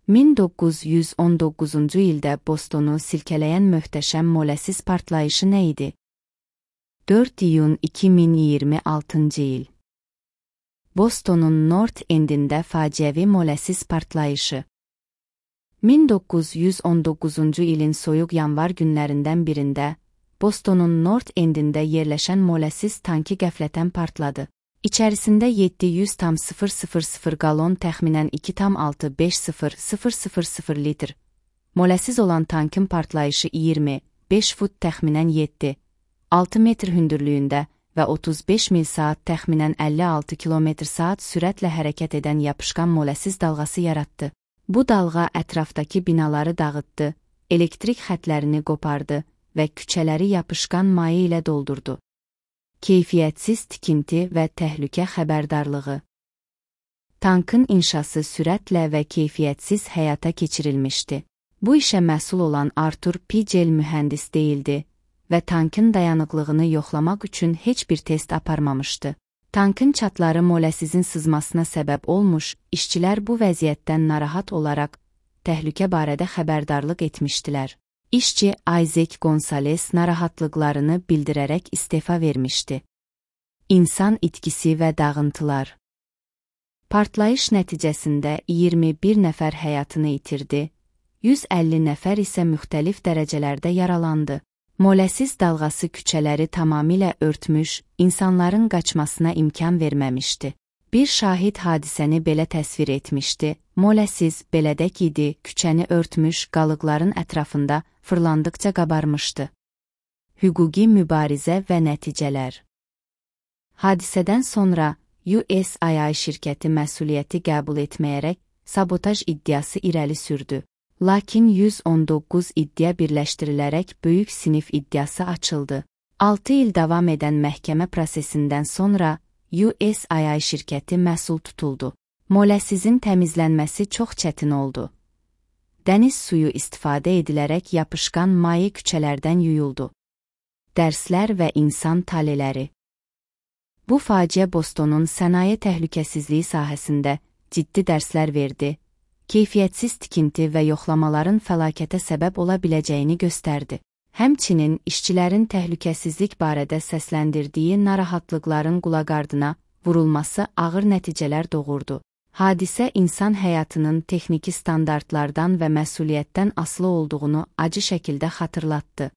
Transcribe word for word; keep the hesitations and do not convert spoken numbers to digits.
min doqquz yüz on doqquzuncu ildə Bostonu silkələyən möhtəşəm molesiz partlayışı nə idi? dörd iyun iki min iyirmi altıncı il. Bostonun North Endində faciəvi molesiz partlayışı. min doqquz yüz on doqquzuncu ilin soyuq yanvar günlərindən birində Bostonun North Endində yerləşən molesiz tanki qəflətən partladı. İçərisində yeddi yüz tam sıfır sıfır sıfır qalon təxminən iki tam altı beş sıfır sıfır sıfır sıfır litr. Molesiz olan tankın partlayışı iyirmi beş fut təxminən yeddi altı metr hündürlüyündə və otuz beş mil saat təxminən əlli altı kilometr saat sürətlə hərəkət edən yapışqan molesiz dalğası yaratdı. Bu dalğa ətrafdakı binaları dağıtdı, elektrik xətlərini qopardı və küçələri yapışqan maye ilə doldurdu. Keyfiyyətsiz tikinti və təhlükə xəbərdarlığı. Tankın inşası sürətlə və keyfiyyətsiz həyata keçirilmişdi. Bu işə məsul olan Arthur Pigel mühəndis deyildi və tankın dayanıqlığını yoxlamaq üçün heç bir test aparmamışdı. Tankın çatları molesizin sızmasına səbəb olmuş, işçilər bu vəziyyətdən narahat olaraq təhlükə barədə xəbərdarlıq etmişdilər. İşçi Isaac Gonzales narahatlıqlarını bildirərək istefa vermişdi. İnsan itkisi və dağıntılar. Partlayış nəticəsində iyirmi bir nəfər həyatını itirdi, yüz əlli nəfər isə müxtəlif dərəcələrdə yaralandı. Molesiz dalğası küçələri tamamilə örtmüş, insanların qaçmasına imkan verməmişdi. Bir şahid hadisəni belə təsvir etmişdi. Molesiz belədək idi, küçəni örtmüş, qalıqların ətrafında fırlandıqca qabarmışdı. Hüquqi mübarizə və nəticələr. Hadisədən sonra U S I I şirkəti məsuliyyəti qəbul etməyərək sabotaj iddiası irəli sürdü. Lakin yüz on doqquz iddia birləşdirilərək böyük sinif iddiası açıldı. altı il davam edən məhkəmə prosesindən sonra U S I I şirkəti məsul tutuldu. Molesizin təmizlənməsi çox çətin oldu. Dəniz suyu istifadə edilərək yapışqan maye küçələrdən yuyuldu. Dərslər və insan taleləri. Bu faciə Bostonun sənaye təhlükəsizliyi sahəsində ciddi dərslər verdi, keyfiyyətsiz tikinti və yoxlamaların fəlakətə səbəb ola biləcəyini göstərdi. Həmçinin işçilərin təhlükəsizlik barədə səsləndirdiyi narahatlıqların qulaqardına vurulması ağır nəticələr doğurdu. Hadisə insan həyatının texniki standartlardan və məsuliyyətdən asılı olduğunu acı şəkildə xatırlatdı.